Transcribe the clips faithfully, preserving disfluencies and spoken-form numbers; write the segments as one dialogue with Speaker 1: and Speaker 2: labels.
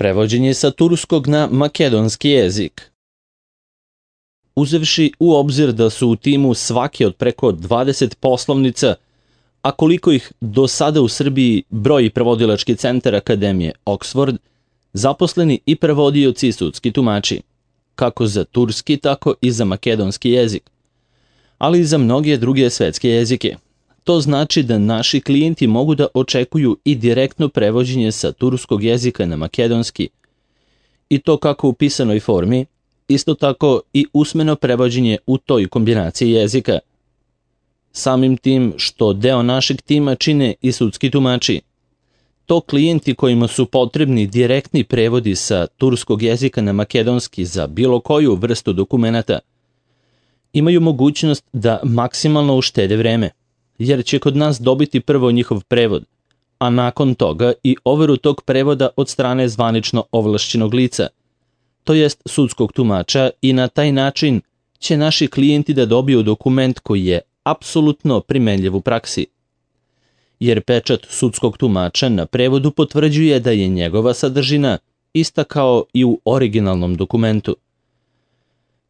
Speaker 1: Prevođenje sa turskog na makedonski jezik. Uzevši u obzir da su u timu svake od preko dvadeset poslovnica, a koliko ih do sada u Srbiji broji prevodilački centar Akademije Oxford, zaposleni i prevodioci i sudski tumači, kako za turski, tako i za makedonski jezik, ali i za mnoge druge svetske jezike. To znači da naši klijenti mogu da očekuju i direktno prevođenje sa turskog jezika na makedonski, i to kako u pisanoj formi, isto tako i usmeno prevođenje u toj kombinaciji jezika. Samim tim što deo našeg tima čine i sudski tumači, to klijenti kojima su potrebni direktni prevodi sa turskog jezika na makedonski za bilo koju vrstu dokumenata, imaju mogućnost da maksimalno uštede vreme, jer će kod nas dobiti prvo njihov prevod, a nakon toga i overu tog prevoda od strane zvanično ovlašćenog lica, to jest sudskog tumača, i na taj način će naši klijenti da dobiju dokument koji je apsolutno primenljiv u praksi. Jer pečat sudskog tumača na prevodu potvrđuje da je njegova sadržina ista kao i u originalnom dokumentu.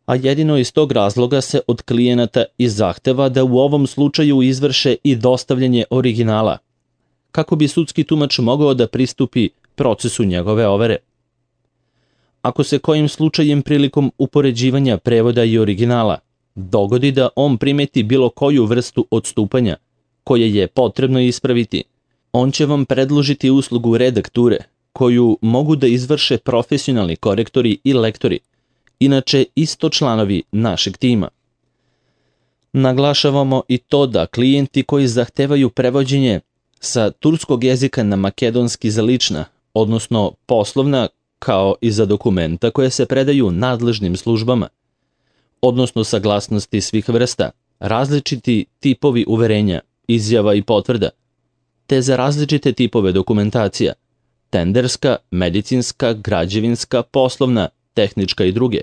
Speaker 1: A jedino iz tog razloga se od klijenata i zahteva da u ovom slučaju izvrše i dostavljanje originala, kako bi sudski tumač mogao da pristupi procesu njegove overe. Ako se kojim slučajem prilikom upoređivanja prevoda i originala dogodi da on primeti bilo koju vrstu odstupanja koje je potrebno ispraviti, on će vam predložiti uslugu redakture koju mogu da izvrše profesionalni korektori i lektori, inače isto članovi našeg tima. Naglašavamo i to da klijenti koji zahtevaju prevođenje sa turskog jezika na makedonski za lična, odnosno poslovna, kao i za dokumenta koje se predaju nadležnim službama, odnosno saglasnosti svih vrsta, različiti tipovi uverenja, izjava i potvrda, te za različite tipove dokumentacija, tenderska, medicinska, građevinska, poslovna, tehnička i druge,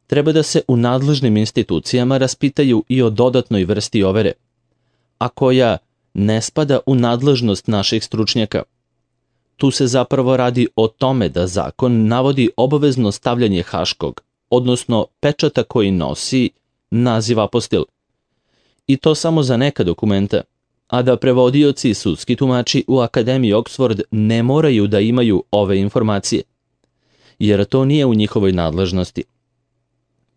Speaker 1: treba da se u nadležnim institucijama raspitaju i o dodatnoj vrsti overe, a koja ne spada u nadležnost naših stručnjaka. Tu se zapravo radi o tome da zakon navodi obavezno stavljanje haškog, odnosno pečata koji nosi naziv apostil, i to samo za neka dokumenta, a da prevodioci i sudski tumači u Akademiji Oxford ne moraju da imaju ove informacije, jer to nije u njihovoj nadležnosti.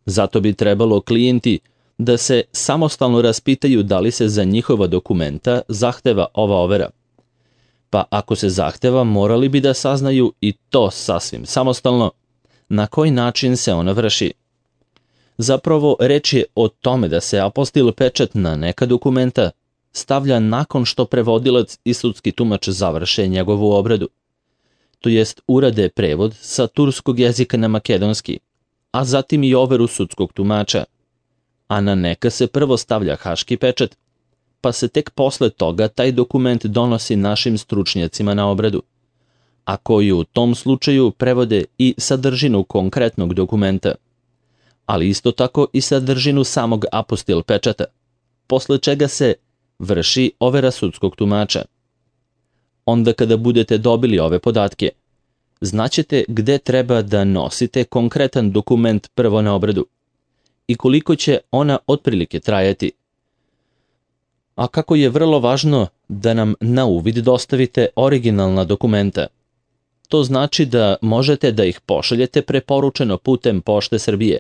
Speaker 1: Zato bi trebalo klijenti da se samostalno raspitaju da li se za njihova dokumenta zahteva ova overa. Pa ako se zahteva, morali bi da saznaju i to sasvim samostalno na koji način se ona vrši. Zapravo, reč je o tome da se apostil pečat na neka dokumenta stavlja nakon što prevodilac i sudski tumač završe njegovu obradu, to jest urade prevod sa turskog jezika na makedonski, a zatim i overu sudskog tumača, a na neka se prvo stavlja haški pečat, pa se tek posle toga taj dokument donosi našim stručnjacima na obradu, a koji u tom slučaju prevode i sadržinu konkretnog dokumenta, ali isto tako i sadržinu samog apostil pečata, posle čega se vrši overa sudskog tumača. Onda kada budete dobili ove podatke, znaćete gde treba da nosite konkretan dokument prvo na obradu i koliko će ona otprilike trajati. A kako je vrlo važno da nam na uvid dostavite originalna dokumenta. To znači da možete da ih pošaljete preporučeno putem Pošte Srbije,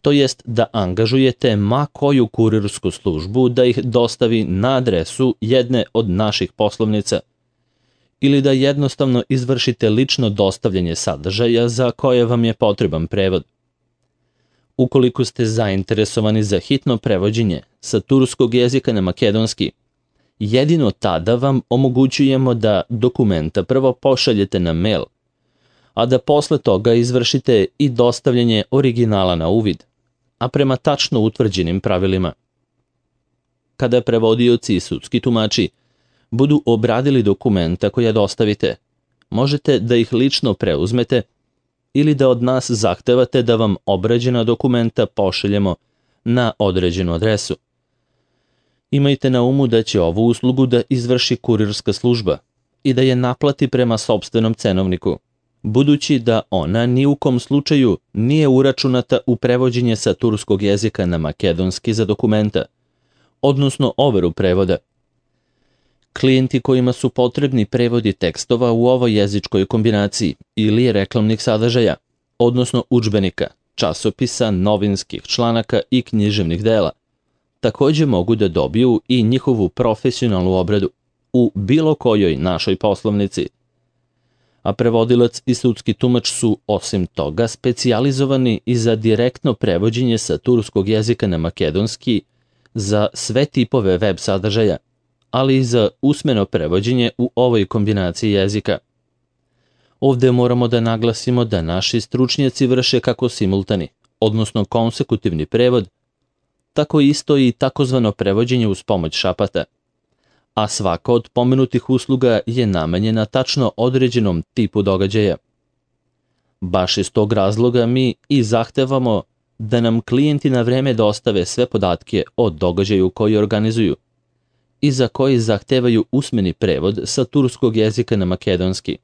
Speaker 1: to jest da angažujete ma koju kurirsku službu da ih dostavi na adresu jedne od naših poslovnica, ili da jednostavno izvršite lično dostavljanje sadržaja za koje vam je potreban prevod. Ukoliko ste zainteresovani za hitno prevođenje sa turskog jezika na makedonski, jedino tada vam omogućujemo da dokumenta prvo pošaljete na mail, a da posle toga izvršite i dostavljanje originala na uvid, a prema tačno utvrđenim pravilima. Kada prevodioci i sudski tumači budu obradili dokumenta koja dostavite, možete da ih lično preuzmete ili da od nas zahtevate da vam obrađena dokumenta pošaljemo na određenu adresu. Imajte na umu da će ovu uslugu da izvrši kurirska služba i da je naplati prema sopstvenom cenovniku, budući da ona ni u kom slučaju nije uračunata u prevođenje sa turskog jezika na makedonski za dokumenta, odnosno overu prevoda. Klijenti kojima su potrebni prevodi tekstova u ovoj jezičkoj kombinaciji ili reklamnih sadržaja, odnosno udžbenika, časopisa, novinskih članaka i književnih dela, takođe mogu da dobiju i njihovu profesionalnu obradu u bilo kojoj našoj poslovnici. A prevodilac i sudski tumač su, osim toga, specijalizovani i za direktno prevođenje sa turskog jezika na makedonski za sve tipove web sadržaja, ali i za usmeno prevođenje u ovoj kombinaciji jezika. Ovde moramo da naglasimo da naši stručnjaci vrše kako simultani, odnosno konsekutivni prevod, tako isto i takozvano prevođenje uz pomoć šapata, a svaka od pomenutih usluga je namenjena tačno određenom tipu događaja. Baš iz tog razloga mi i zahtevamo da nam klijenti na vreme dostave sve podatke o događaju koji organizuju i za koji zahtevaju usmeni prevod sa turskog jezika na makedonski.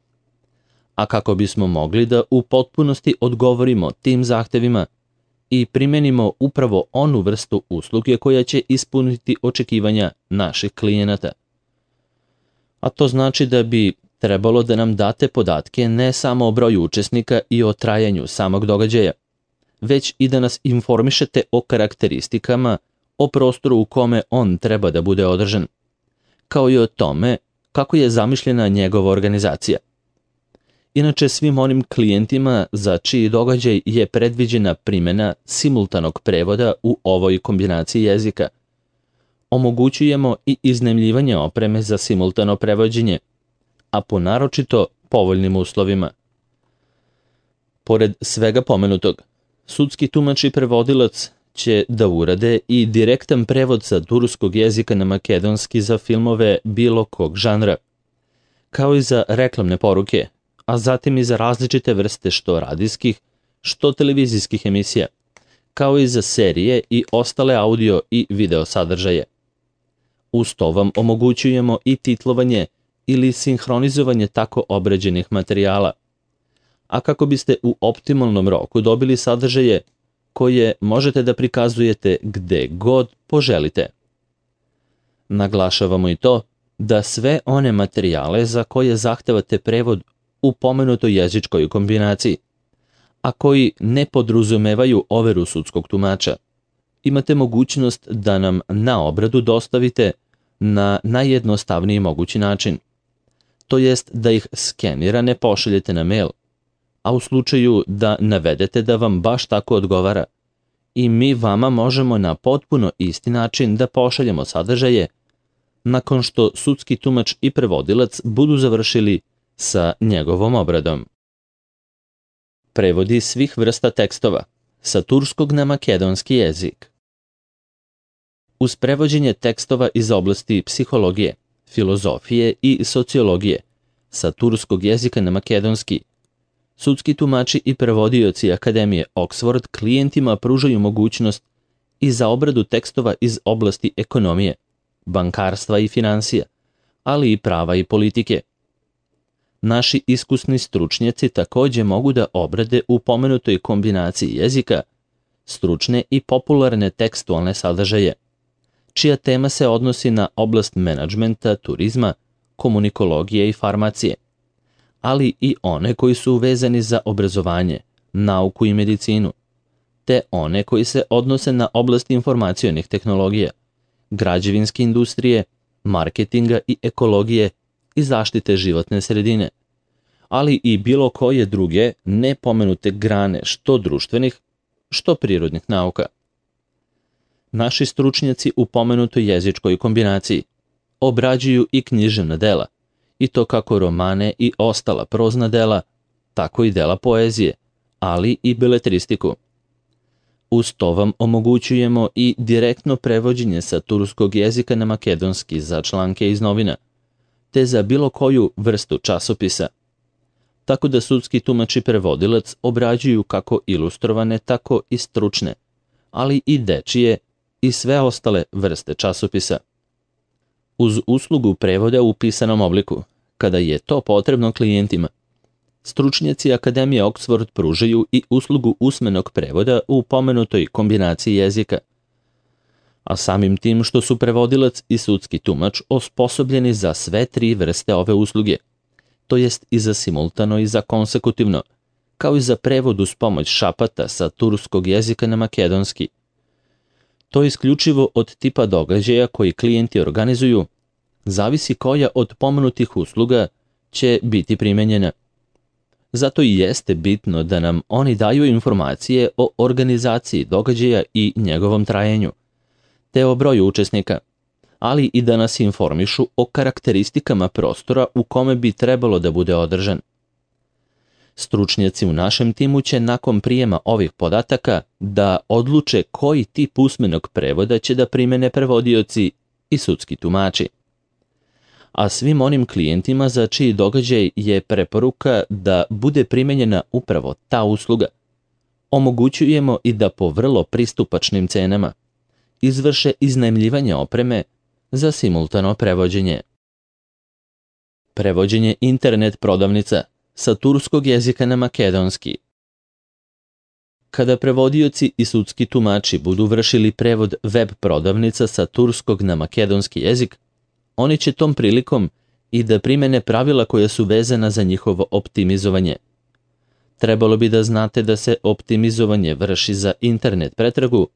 Speaker 1: A kako bismo mogli da u potpunosti odgovorimo tim zahtevima i primenimo upravo onu vrstu usluge koja će ispuniti očekivanja naših klijenata. A to znači da bi trebalo da nam date podatke ne samo o broju učesnika i o trajanju samog događaja, već i da nas informišete o karakteristikama, o prostoru u kome on treba da bude održan, kao i o tome kako je zamišljena njegova organizacija. Inače, svim onim klijentima za čiji događaj je predviđena primjena simultanog prevoda u ovoj kombinaciji jezika, omogućujemo i iznajmljivanje opreme za simultano prevođenje, a po naročito povoljnim uslovima. Pored svega pomenutog, sudski tumač i prevodilac će da urade i direktan prevod sa turskog jezika na makedonski za filmove bilo kog žanra, kao i za reklamne poruke, a zatim i za različite vrste što radijskih, što televizijskih emisija, kao i za serije i ostale audio i video sadržaje. Uz to vam omogućujemo i titlovanje ili sinhronizovanje tako obrađenih materijala, a kako biste u optimalnom roku dobili sadržaje koje možete da prikazujete gde god poželite. Naglašavamo i to da sve one materijale za koje zahtevate prevod u pomenutoj jezičkoj kombinaciji, a koji ne podrazumevaju overu sudskog tumača, imate mogućnost da nam na obradu dostavite na najjednostavniji mogući način, to jest da ih skenirane pošaljete na mail, a u slučaju da navedete da vam baš tako odgovara, i mi vama možemo na potpuno isti način da pošaljemo sadržaje nakon što sudski tumač i prevodilac budu završili sa njegovom obradom. Prevodi svih vrsta tekstova sa turskog na makedonski jezik. Uz prevođenje tekstova iz oblasti psihologije, filozofije i sociologije sa turskog jezika na makedonski, sudski tumači i prevodioci Akademije Oxford klijentima pružaju mogućnost i za obradu tekstova iz oblasti ekonomije, bankarstva i finansija, ali i prava i politike. Naši iskusni stručnjaci takođe mogu da obrade u pomenutoj kombinaciji jezika stručne i popularne tekstualne sadržaje, čija tema se odnosi na oblast menadžmenta, turizma, komunikologije i farmacije, ali i one koji su vezani za obrazovanje, nauku i medicinu, te one koji se odnose na oblast informacionih tehnologija, građevinske industrije, marketinga i ekologije i zaštite životne sredine, ali i bilo koje druge nepomenute grane što društvenih, što prirodnih nauka. Naši stručnjaci u pomenutoj jezičkoj kombinaciji obrađuju i književna dela, i to kako romane i ostala prozna dela, tako i dela poezije, ali i beletristiku. Uz to vam omogućujemo i direktno prevođenje sa turskog jezika na makedonski za članke iz novina, te za bilo koju vrstu časopisa. Tako da sudski tumač i prevodilac obrađuju kako ilustrovane, tako i stručne, ali i dečije i sve ostale vrste časopisa. Uz uslugu prevoda u pisanom obliku, kada je to potrebno klijentima, Stručnjaci Akademije Oxford pružaju i uslugu usmenog prevoda u pomenutoj kombinaciji jezika, a samim tim što su prevodilac i sudski tumač osposobljeni za sve tri vrste ove usluge, to jest i za simultano i za konsekutivno, kao i za prevod uz pomoć šapata sa turskog jezika na makedonski. To isključivo od tipa događaja koji klijenti organizuju, zavisi koja od pomenutih usluga će biti primenjena. Zato i jeste bitno da nam oni daju informacije o organizaciji događaja i njegovom trajanju, te o broju učesnika, ali i da nas informišu o karakteristikama prostora u kome bi trebalo da bude održan. Stručnjaci u našem timu će nakon prijema ovih podataka da odluče koji tip usmenog prevoda će da primene prevodioci i sudski tumači. A svim onim klijentima za čiji događaj je preporuka da bude primenjena upravo ta usluga, omogućujemo i da po vrlo pristupačnim cenama izvrše iznajmljivanje opreme za simultano prevođenje. Prevođenje internet prodavnica sa turskog jezika na makedonski. Kada prevodioci i sudski tumači budu vršili prevod web prodavnica sa turskog na makedonski jezik, oni će tom prilikom i da primene pravila koja su vezana za njihovo optimizovanje. Trebalo bi da znate da se optimizovanje vrši za internet pretragu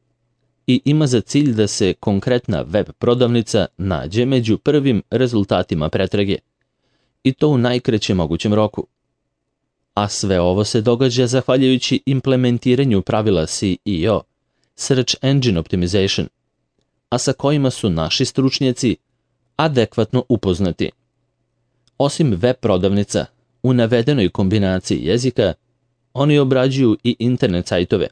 Speaker 1: i ima za cilj da se konkretna web prodavnica nađe među prvim rezultatima pretrage, i to u najkraćem mogućem roku. A sve ovo se događa zahvaljujući implementiranju pravila S E O, Search Engine Optimization, a sa kojima su naši stručnjaci adekvatno upoznati. Osim web prodavnica, u navedenoj kombinaciji jezika, oni obrađuju i internet sajtove,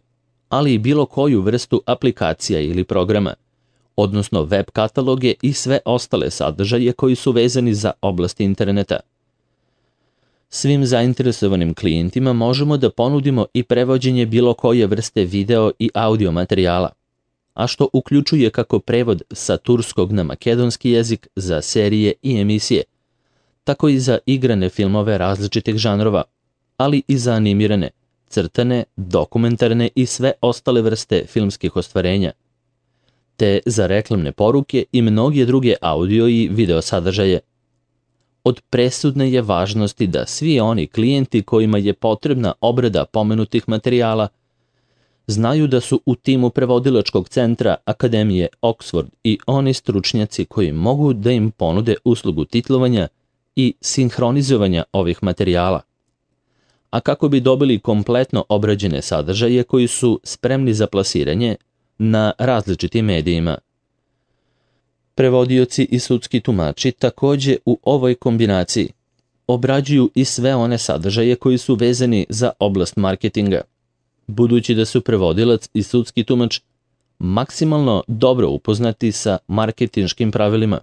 Speaker 1: ali i bilo koju vrstu aplikacija ili programa, odnosno web kataloge i sve ostale sadržaje koji su vezani za oblast interneta. Svim zainteresovanim klijentima možemo da ponudimo i prevođenje bilo koje vrste video i audio materijala, a što uključuje kako prevod sa turskog na makedonski jezik za serije i emisije, tako i za igrane filmove različitih žanrova, ali i za animirane, crtane, dokumentarne i sve ostale vrste filmskih ostvarenja, te za reklamne poruke i mnoge druge audio i video sadržaje. Od presudne je važnosti da svi oni klijenti kojima je potrebna obrada pomenutih materijala znaju da su u timu prevodilačkog centra Akademije Oxford i oni stručnjaci koji mogu da im ponude uslugu titlovanja i sinhronizovanja ovih materijala, a kako bi dobili kompletno obrađene sadržaje koji su spremni za plasiranje na različitim medijima. Prevodioci i sudski tumači takođe u ovoj kombinaciji obrađuju i sve one sadržaje koji su vezani za oblast marketinga, budući da su prevodilac i sudski tumač maksimalno dobro upoznati sa marketinškim pravilima.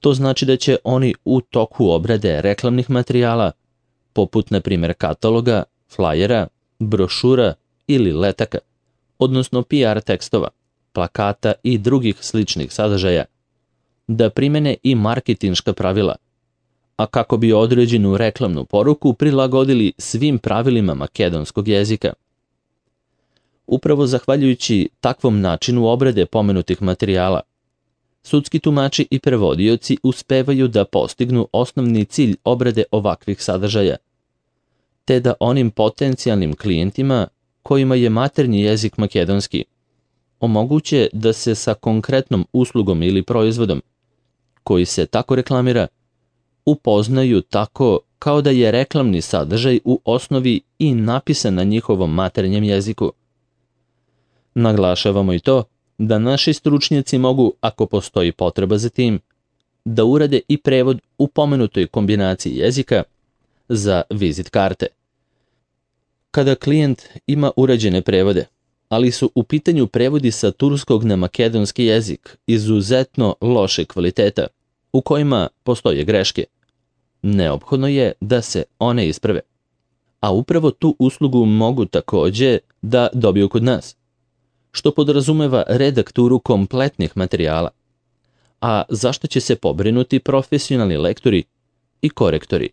Speaker 1: To znači da će oni u toku obrade reklamnih materijala, poput na primjer kataloga, flajera, brošura ili letaka, odnosno P R tekstova, plakata i drugih sličnih sadržaja, da primene i marketinška pravila, a kako bi određenu reklamnu poruku prilagodili svim pravilima makedonskog jezika. Upravo zahvaljujući takvom načinu obrade pomenutih materijala, sudski tumači i prevodioci uspevaju da postignu osnovni cilj obrade ovakvih sadržaja, te da onim potencijalnim klijentima kojima je maternji jezik makedonski omoguće da se sa konkretnom uslugom ili proizvodom, koji se tako reklamira, upoznaju tako kao da je reklamni sadržaj u osnovi i napisan na njihovom maternjem jeziku. Naglašavamo i to da naši stručnjaci mogu, ako postoji potreba za tim, da urade i prevod u pomenutoj kombinaciji jezika za vizit karte. Kada klijent ima urađene prevode, ali su u pitanju prevodi sa turskog na makedonski jezik izuzetno loše kvaliteta, u kojima postoje greške, neophodno je da se one isprave. A upravo tu uslugu mogu takođe da dobiju kod nas, što podrazumeva redakturu kompletnih materijala, a zašto će se pobrinuti profesionalni lektori i korektori.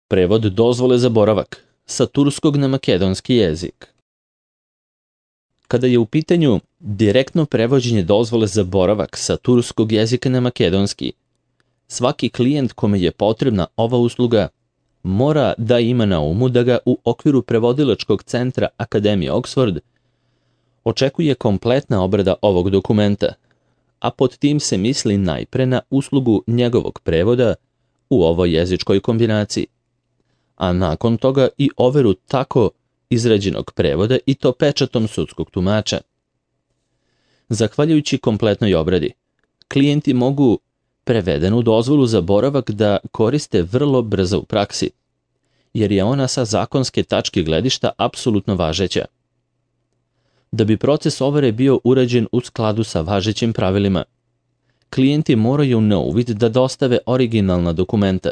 Speaker 1: Prevod dozvole za boravak sa turskog na makedonski jezik. Kada je u pitanju direktno prevođenje dozvole za boravak sa turskog jezika na makedonski, svaki klijent kome je potrebna ova usluga mora da ima na umu da ga u okviru prevodilačkog centra Akademije Oxford očekuje kompletna obrada ovog dokumenta, a pod tim se misli najpre na uslugu njegovog prevoda u ovoj jezičkoj kombinaciji, a nakon toga i overu tako izrađenog prevoda i to pečatom sudskog tumača. Zahvaljujući kompletnoj obradi, klijenti mogu prevedenu dozvolu za boravak da koriste vrlo brzo u praksi, jer je ona sa zakonske tačke gledišta apsolutno važeća. Da bi proces overe bio urađen u skladu sa važećim pravilima, klijenti moraju na uvid da dostave originalna dokumenta,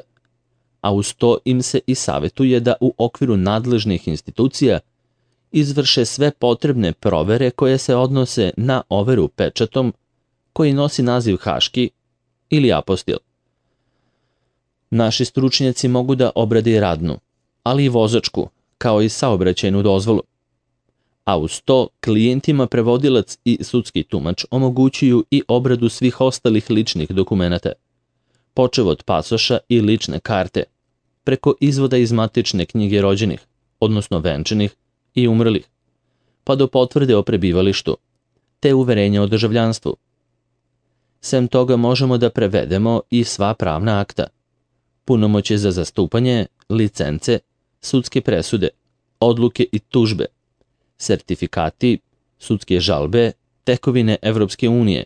Speaker 1: a uz to im se i savjetuje da u okviru nadležnih institucija izvrše sve potrebne provere koje se odnose na overu pečatom koji nosi naziv haški ili apostil. Naši stručnjaci mogu da obrade i radnu, ali i vozačku, kao i saobraćajnu dozvolu. A uz to klijentima prevodilac i sudski tumač omogućuju i obradu svih ostalih ličnih dokumenata, počev od pasoša i lične karte, preko izvoda iz matične knjige rođenih, odnosno venčanih i umrlih, pa do potvrde o prebivalištu, te uverenja o državljanstvu. Sem toga možemo da prevedemo i sva pravna akta, punomoćje za zastupanje, licence, sudske presude, odluke i tužbe, sertifikati, sudske žalbe, tekovine Evropske unije,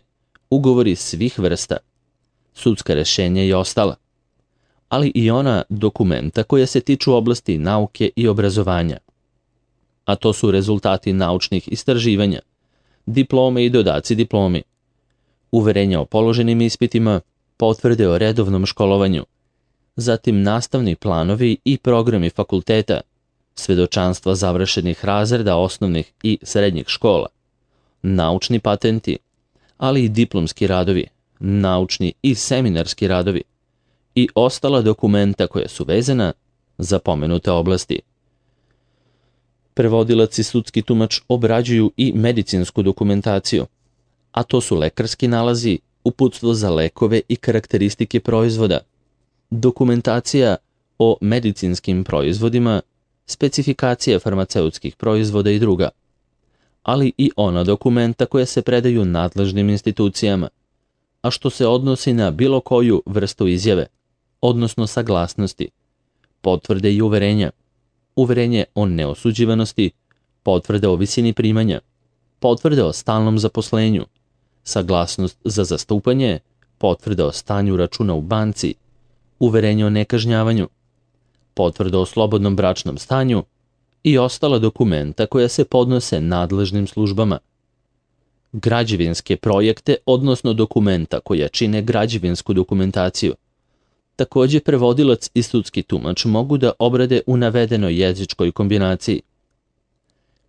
Speaker 1: ugovori svih vrsta, sudska rešenja i ostala, ali i ona dokumenta koja se tiču oblasti nauke i obrazovanja, a to su rezultati naučnih istraživanja, diplome i dodaci diplomi, uverenja o položenim ispitima, potvrde o redovnom školovanju, zatim nastavni planovi i programi fakulteta, svedočanstva završenih razreda osnovnih i srednjih škola, naučni patenti, ali i diplomski radovi, naučni i seminarski radovi i ostala dokumenta koja su vezana za pomenute oblasti. Prevodilac i sudski tumač obrađuju i medicinsku dokumentaciju, a to su lekarski nalazi, uputstvo za lekove i karakteristike proizvoda, dokumentacija o medicinskim proizvodima, specifikacija farmaceutskih proizvoda i druga, ali i ona dokumenta koja se predaju nadležnim institucijama, a što se odnosi na bilo koju vrstu izjave, odnosno saglasnosti, potvrde i uverenja, uverenje o neosuđivanosti, potvrde o visini primanja, potvrde o stalnom zaposlenju, saglasnost za zastupanje, potvrde o stanju računa u banci, uverenje o nekažnjavanju, potvrda o slobodnom bračnom stanju i ostala dokumenta koja se podnose nadležnim službama. Građevinske projekte, odnosno dokumenta koja čine građevinsku dokumentaciju, takođe prevodilac i sudski tumač mogu da obrade u navedenoj jezičkoj kombinaciji.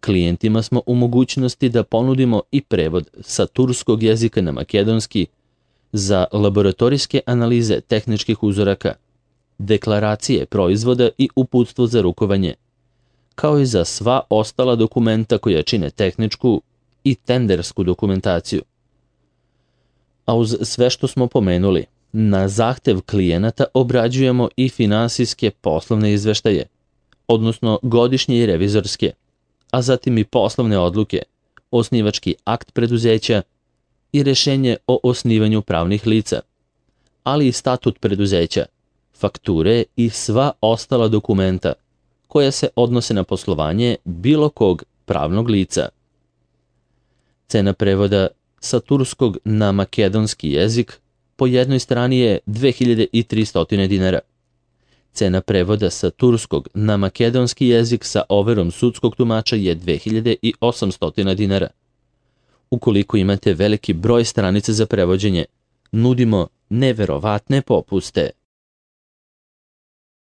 Speaker 1: Klijentima smo u mogućnosti da ponudimo i prevod sa turskog jezika na makedonski za laboratorijske analize tehničkih uzoraka, deklaracije proizvoda i uputstvo za rukovanje, kao i za sva ostala dokumenta koja čine tehničku i tendersku dokumentaciju. A uz sve što smo pomenuli, na zahtev klijenata obrađujemo i finansijske poslovne izveštaje, odnosno godišnje i revizorske, a zatim i poslovne odluke, osnivački akt preduzeća i rešenje o osnivanju pravnih lica, ali i statut preduzeća, fakture i sva ostala dokumenta koja se odnose na poslovanje bilo kog pravnog lica. Cena prevoda sa turskog na makedonski jezik po jednoj strani je dve hiljade tristo dinara. Cena prevoda sa turskog na makedonski jezik sa overom sudskog tumača je dve hiljade osamsto dinara. Ukoliko imate veliki broj stranica za prevođenje, nudimo neverovatne popuste.